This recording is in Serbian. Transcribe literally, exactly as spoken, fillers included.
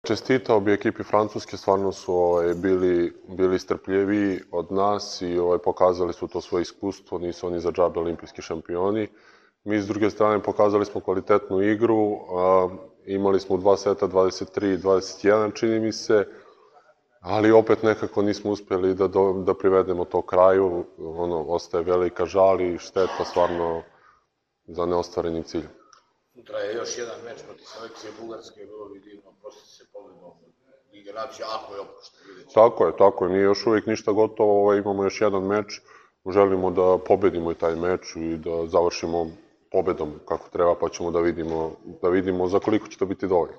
Čestitao bi ekipi Francuske, stvarno su ovaj, bili, bili strpljiviji od nas i ovaj, pokazali su to svoje iskustvo, nisu oni za džabe olimpijski šampioni. Mi s druge strane pokazali smo kvalitetnu igru, a, imali smo u dva seta dvadeset tri dvadeset jedan čini mi se, ali opet nekako nismo uspjeli da, do, da privedemo to kraju, ono, ostaje velika žal i šteta stvarno za neostvarenim ciljem. Sutra je još jedan meč protiv selekcije Bugarske, bilo bi divno, prosti se pobedom Lige nacija, ako je oprošta, vidjet ćemo. Tako je, tako je, nije još uvijek ništa gotovo, ovaj, imamo još jedan meč, želimo da pobedimo i taj meč i da završimo pobedom kako treba, pa ćemo da vidimo, da vidimo za koliko će to biti dovoljno.